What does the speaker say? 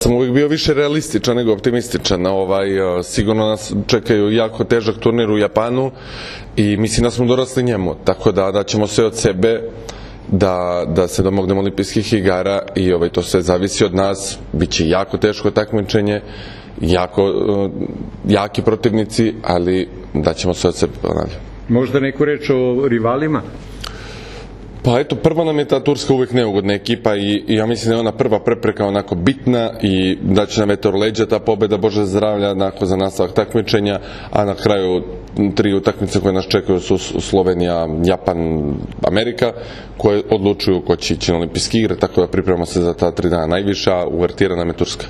Sam uvijek bio više realističan nego optimističan. Sigurno nas čekaju jako težak turnir u Japanu i mislim da smo dorasli njemu, tako da ćemo sve od sebe da se domognemo olimpijskih igara i to sve zavisi od nas. Biće jako teško takmičenje, jaki protivnici, ali daćemo sve od sebe, ponavljam. Možda neku reč o rivalima? Pa eto, prva nam je ta Turska uvijek neugodna ekipa i ja mislim da je ona prva prepreka onako bitna i da će nam leđa ta pobjeda, Bože zdravlja, za nastavak takmičenja, a na kraju 3 utakmice koje nas čekaju su Slovenija, Japan, Amerika, koje odlučuju ko će ići na olimpijske igre, tako da pripremamo se za ta 3 dana najviša, uvertira nam je Turska.